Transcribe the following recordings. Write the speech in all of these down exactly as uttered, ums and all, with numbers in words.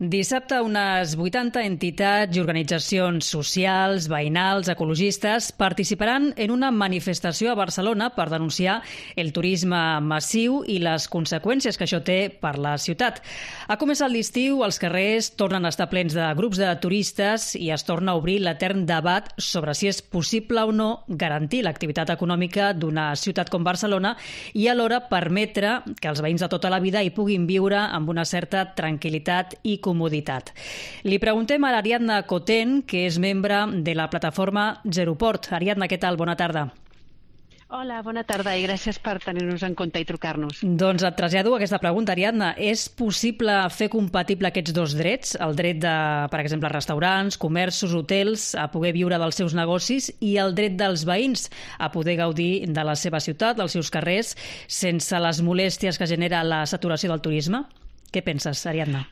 Dissabte, unes vuitanta entitats i organitzacions socials, veïnals, ecologistes participaran en una manifestació a Barcelona per denunciar el turisme massiu i les conseqüències que això té per la ciutat. Ha començat l'estiu, els carrers tornen a estar plens de grups de turistes i es torna a obrir l'etern debat sobre si és possible o no garantir l'activitat econòmica d'una ciutat com Barcelona i alhora permetre que els veïns de tota la vida hi puguin viure amb una certa tranquil·litat i comoditat. Li preguntem a l'Ariadna Coten, que és membre de la plataforma Zeroport. Ariadna, què tal? Bona tarda. Hola, bona tarda i gràcies per tenir-nos en compte i trucar-nos. Doncs et trasllado aquesta pregunta, Ariadna. És possible fer compatible aquests dos drets? El dret de, per exemple, restaurants, comerços, hotels, a poder viure dels seus negocis i el dret dels veïns a poder gaudir de la seva ciutat, dels seus carrers, sense les molèsties que genera la saturació del turisme? Què penses, Ariadna?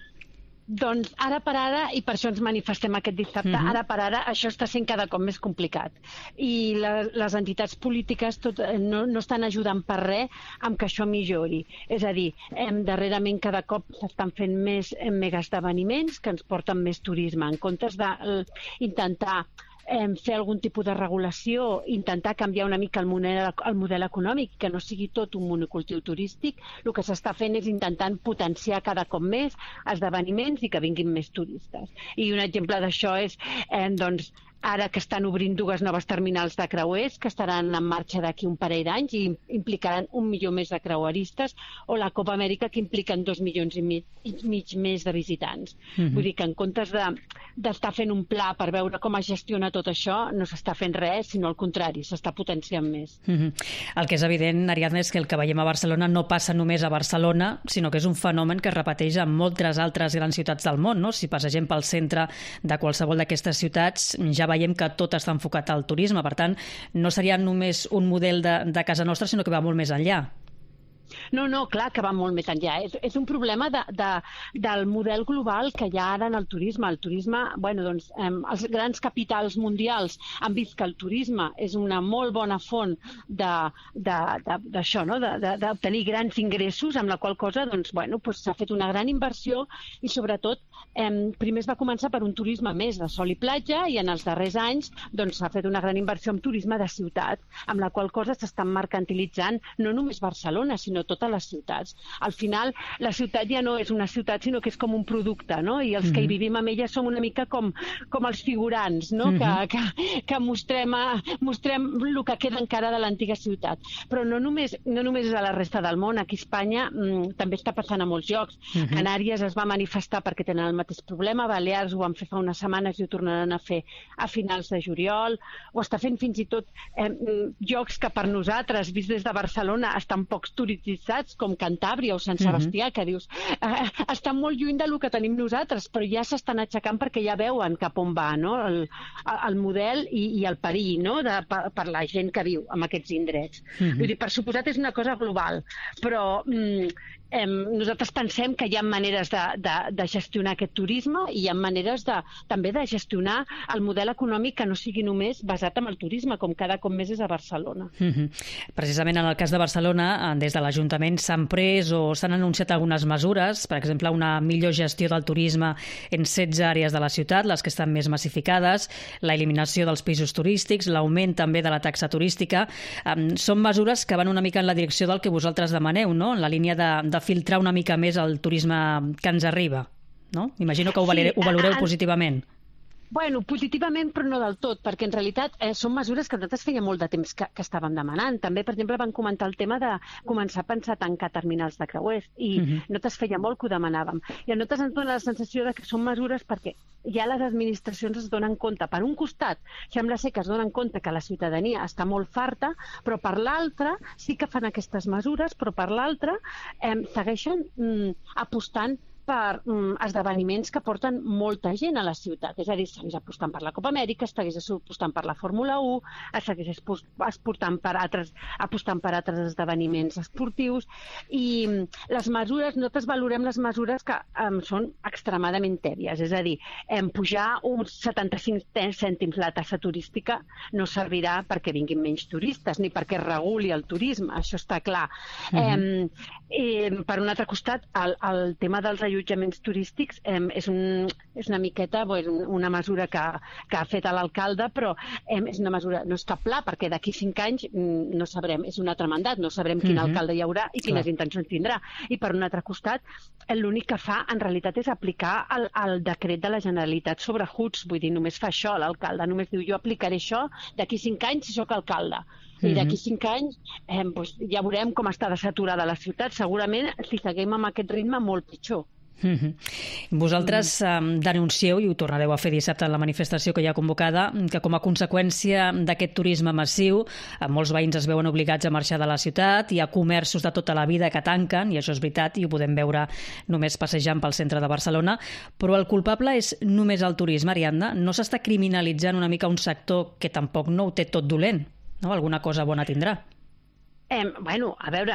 Doncs ara per ara, i per això ens manifestem aquest dissabte, uh-huh. ara per ara això està sent cada cop més complicat. I la, les entitats polítiques tot, no, no estan ajudant per res amb que això millori. És a dir, hem, darrerament cada cop s'estan fent més mega esdeveniments que ens porten més turisme. En comptes d'intentar Eh, fer algun tipus de regulació, intentar canviar una mica el model, el model econòmic, que no sigui tot un monocultiu turístic, el que s'està fent és intentant potenciar cada cop més esdeveniments i que vinguin més turistes. I un exemple d'això és, eh, doncs, ara que estan obrint dues noves terminals de creuers que estaran en marxa d'aquí un parell d'anys i implicaran un milió més de creueristes, o la Copa Amèrica, que impliquen dos milions i mig, i mig més de visitants. Mm-hmm. Vull dir que en comptes de, d'estar fent un pla per veure com es gestiona tot això, no s'està fent res, sinó al contrari, s'està potenciant més. Mm-hmm. El que és evident, Ariadna, és que el que veiem a Barcelona no passa només a Barcelona, sinó que és un fenomen que es repeteix en moltes altres grans ciutats del món, no? Si passegem pel centre de qualsevol d'aquestes ciutats, ja veiem que tot està enfocat al turisme. Per tant, no seria només un model de, de casa nostra, sinó que va molt més enllà. No, no, clar que va molt més enllà. És, és un problema de, de, del model global que hi ha ara en el turisme. El turisme, bueno, doncs, eh, els grans capitals mundials han vist que el turisme és una molt bona font d'això, no? d'obtenir grans ingressos, amb la qual cosa doncs, bueno, doncs, s'ha fet una gran inversió i, sobretot, eh, primer es va començar per un turisme més de sol i platja i en els darrers anys doncs, s'ha fet una gran inversió en turisme de ciutat, amb la qual cosa s'estan mercantilitzant no només Barcelona, sinó totes les ciutats. Al final, la ciutat ja no és una ciutat, sinó que és com un producte, no? I els mm-hmm. que hi vivim amb ella som una mica com, com els figurants, no? Mm-hmm. que, que, que mostrem, a, mostrem el que queda encara de l'antiga ciutat. Però no només, no només és a la resta del món. Aquí a Espanya mm, també està passant a molts llocs. Mm-hmm. Canàries es va manifestar perquè tenen el mateix problema, Balears ho van fer fa unes setmanes i ho tornaran a fer a finals de juliol. Ho està fent fins i tot eh, llocs que per nosaltres, vist des de Barcelona, estan pocs turistitzats, com Cantàbria o Sant Sebastià, uh-huh. que dius, eh, estan molt lluny del que tenim nosaltres, però ja s'estan aixecant perquè ja veuen cap on va, no? el, el model i, i el perill, no? de, per, per la gent que viu en aquests indrets. Uh-huh. Vull dir, per suposat és una cosa global, però mm, eh, nosaltres pensem que hi ha maneres de, de, de gestionar aquest turisme i hi ha maneres de, també de gestionar el model econòmic que no sigui només basat en el turisme, com cada cop més és a Barcelona. Uh-huh. Precisament en el cas de Barcelona, des de l'Ajuntament s'han pres o s'han anunciat algunes mesures, per exemple, una millor gestió del turisme en setze àrees de la ciutat, les que estan més massificades, l'eliminació dels pisos turístics, l'augment també de la taxa turística. Um, són mesures que van una mica en la direcció del que vosaltres demaneu, no? En la línia de, de filtrar una mica més el turisme que ens arriba, no? Imagino que ho, valere, ho valoreu positivament. Bueno, positivament, però no del tot, perquè en realitat eh, són mesures que nosaltres feia molt de temps que, que estàvem demanant. També, per exemple, van comentar el tema de començar a pensar a tancar terminals de creuers i uh-huh. nosaltres feia molt que ho demanàvem. I a nosaltres ens dona la sensació de que són mesures perquè ja les administracions es donen compte. Per un costat, sembla ser que es donen compte que la ciutadania està molt farta, però per l'altre sí que fan aquestes mesures, però per l'altre eh, segueixen mm, apostant per um, esdeveniments que porten molta gent a la ciutat. És a dir, segueix apostant per la Copa Amèrica, segueix apostant per la Fórmula u, segueix apostant per altres, apostant per altres esdeveniments esportius i um, les mesures, nosaltres valorem les mesures que um, són extremadament tèbies. És a dir, um, pujar uns setanta-cinc cèntims la tassa turística no servirà perquè vinguin menys turistes ni perquè es reguli el turisme, això està clar. Uh-huh. um, i, per un altre costat, el, el tema dels allotjaments turístics eh, és, un, és una miqueta bo, és una mesura que, que ha fet l'alcalde, però eh, és una mesura, no és cap pla, perquè d'aquí cinc anys no sabrem, és un altre mandat, no sabrem quin uh-huh. alcalde hi haurà i quines Clar. intencions tindrà. I per un altre costat, l'únic que fa en realitat és aplicar el, el decret de la Generalitat sobre Huts, vull dir, només fa això l'alcalde, només diu jo aplicaré això d'aquí cinc anys si sóc alcalde. I d'aquí cinc anys eh, doncs ja veurem com està saturada la ciutat. Segurament, si seguim amb aquest ritme, molt pitjor. Mm-hmm. Vosaltres eh, denuncieu, i ho tornareu a fer dissabte en la manifestació que hi ha convocada, que com a conseqüència d'aquest turisme massiu, eh, molts veïns es veuen obligats a marxar de la ciutat, hi ha comerços de tota la vida que tanquen, i això és veritat, i ho podem veure només passejant pel centre de Barcelona, però el culpable és només el turisme, Ariadna. No s'està criminalitzant una mica un sector que tampoc no ho té tot dolent? No? Alguna cosa bona tindrà. Eh, bueno, a veure,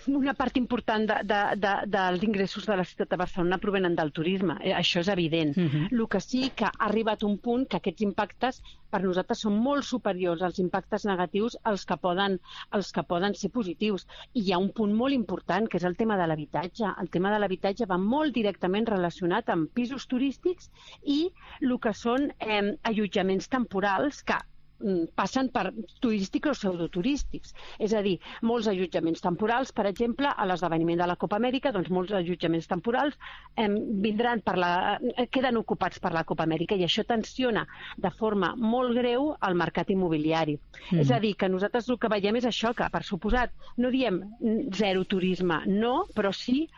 una part important de, de, de, dels ingressos de la ciutat de Barcelona provenen del turisme, eh, això és evident. Uh-huh. El que sí que ha arribat un punt que aquests impactes per nosaltres són molt superiors als impactes negatius als que poden, als que poden ser positius. I hi ha un punt molt important, que és el tema de l'habitatge. El tema de l'habitatge va molt directament relacionat amb pisos turístics i el que són eh, allotjaments temporals que passen per turístics o pseudoturístics. És a dir, molts allotjaments temporals, per exemple, a l'esdeveniment de la Copa Amèrica, doncs molts allotjaments temporals eh, vindran per la, queden ocupats per la Copa Amèrica i això tensiona de forma molt greu el mercat immobiliari. Mm. És a dir, que nosaltres el que veiem és això, que per suposat no diem zero turisme, no, però sí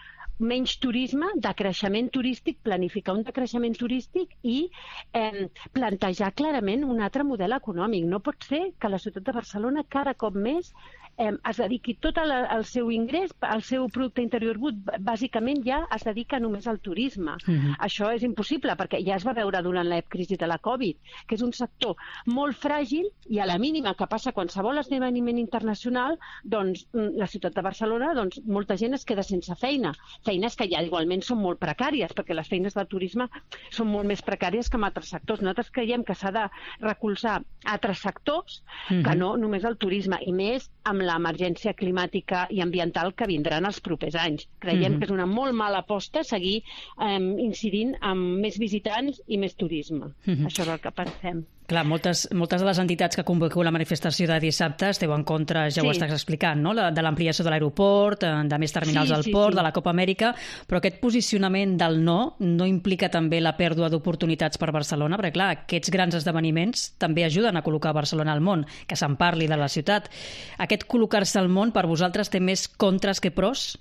menys turisme, decreixement turístic, planificar un decreixement turístic i eh, plantejar clarament un altre model econòmic. No pot ser que la ciutat de Barcelona cada cop més eh, es dediqui tot el, el seu ingrés, el seu producte interior brut, bàsicament ja es dedica només al turisme. Uh-huh. Això és impossible, perquè ja es va veure durant la crisi de la Covid, que és un sector molt fràgil i a la mínima que passa qualsevol esdeveniment internacional, doncs la ciutat de Barcelona, doncs molta gent es queda sense feina. Feines que ja igualment són molt precàries, perquè les feines del turisme són molt més precàries que en altres sectors. Nosaltres creiem que s'ha de recolzar altres sectors uh-huh. que no només el turisme, i més amb l'emergència climàtica i ambiental que vindran els propers anys. Creiem uh-huh. que és una molt mala aposta seguir eh, incidint amb més visitants i més turisme. Uh-huh. Això és el que pensem. Clar, moltes, moltes de les entitats que convoqueu la manifestació de dissabte esteu en contra, ja sí. ho estàs explicant, no? La, de l'ampliació de l'aeroport, de més terminals sí, al sí, port, sí. de la Copa Amèrica, però aquest posicionament del no no implica també la pèrdua d'oportunitats per Barcelona, perquè clar, aquests grans esdeveniments també ajuden a col·locar Barcelona al món, que se'n parli de la ciutat. Aquest col·locar-se al món per vosaltres té més contres que pros?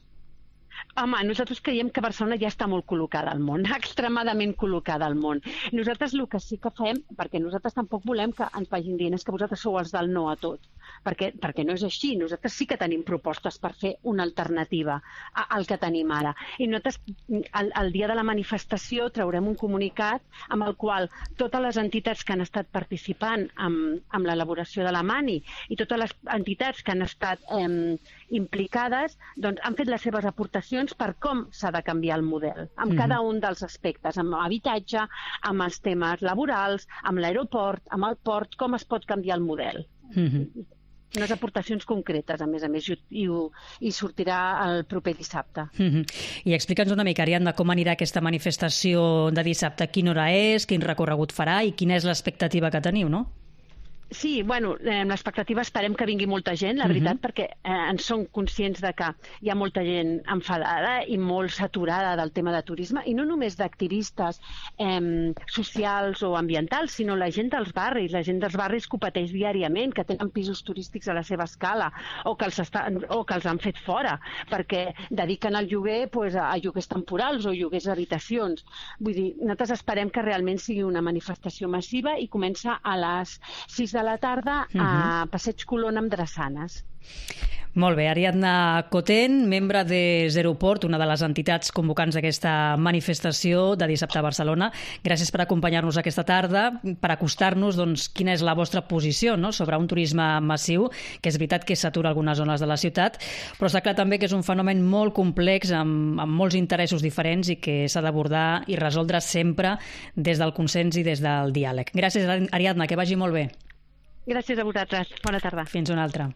Home, nosaltres creiem que Barcelona ja està molt col·locada al món, extremadament col·locada al món. Nosaltres el que sí que fem, perquè nosaltres tampoc volem que ens vagin dient és que vosaltres sou els del no a tot, perquè, perquè no és així. Nosaltres sí que tenim propostes per fer una alternativa al que tenim ara. I nosaltres, el, el dia de la manifestació, traurem un comunicat amb el qual totes les entitats que han estat participant amb, amb l'elaboració de la Mani i totes les entitats que han estat eh, implicades, doncs han fet les seves aportacions per com s'ha de canviar el model, amb mm-hmm. cada un dels aspectes, amb habitatge, amb els temes laborals, amb l'aeroport, amb el port, com es pot canviar el model. Mm-hmm. Unes aportacions concretes, a més a més, i, i, i sortirà el proper dissabte. Mm-hmm. I explica'ns una mica, Ariadna, com anirà aquesta manifestació de dissabte, quina hora és, quin recorregut farà i quina és l'expectativa que teniu, no? Sí, bueno, eh, l'expectativa esperem que vingui molta gent, la veritat, uh-huh. perquè eh, ens som conscients de que hi ha molta gent enfadada i molt saturada del tema de turisme, i no només d'activistes eh, socials o ambientals, sinó la gent dels barris, la gent dels barris que ho pateix diàriament, que tenen pisos turístics a la seva escala o que els, estan, o que els han fet fora, perquè dediquen el lloguer pues, a, a lloguers temporals o lloguers d'habitacions. Vull dir, nosaltres esperem que realment sigui una manifestació massiva i comença a les sis de la tarda a Passeig Colón amb drassanes. Molt bé, Ariadna Cotent, membre de Zeroport, una de les entitats convocants d'aquesta manifestació de dissabte a Barcelona. Gràcies per acompanyar-nos aquesta tarda, per acostar-nos doncs, quina és la vostra posició, no?, sobre un turisme massiu, que és veritat que s'atura algunes zones de la ciutat, però està clar també que és un fenomen molt complex, amb, amb molts interessos diferents i que s'ha d'abordar i resoldre sempre des del consens i des del diàleg. Gràcies, Ariadna, que vagi molt bé. Gràcies a vosaltres. Bona tarda. Fins una altra.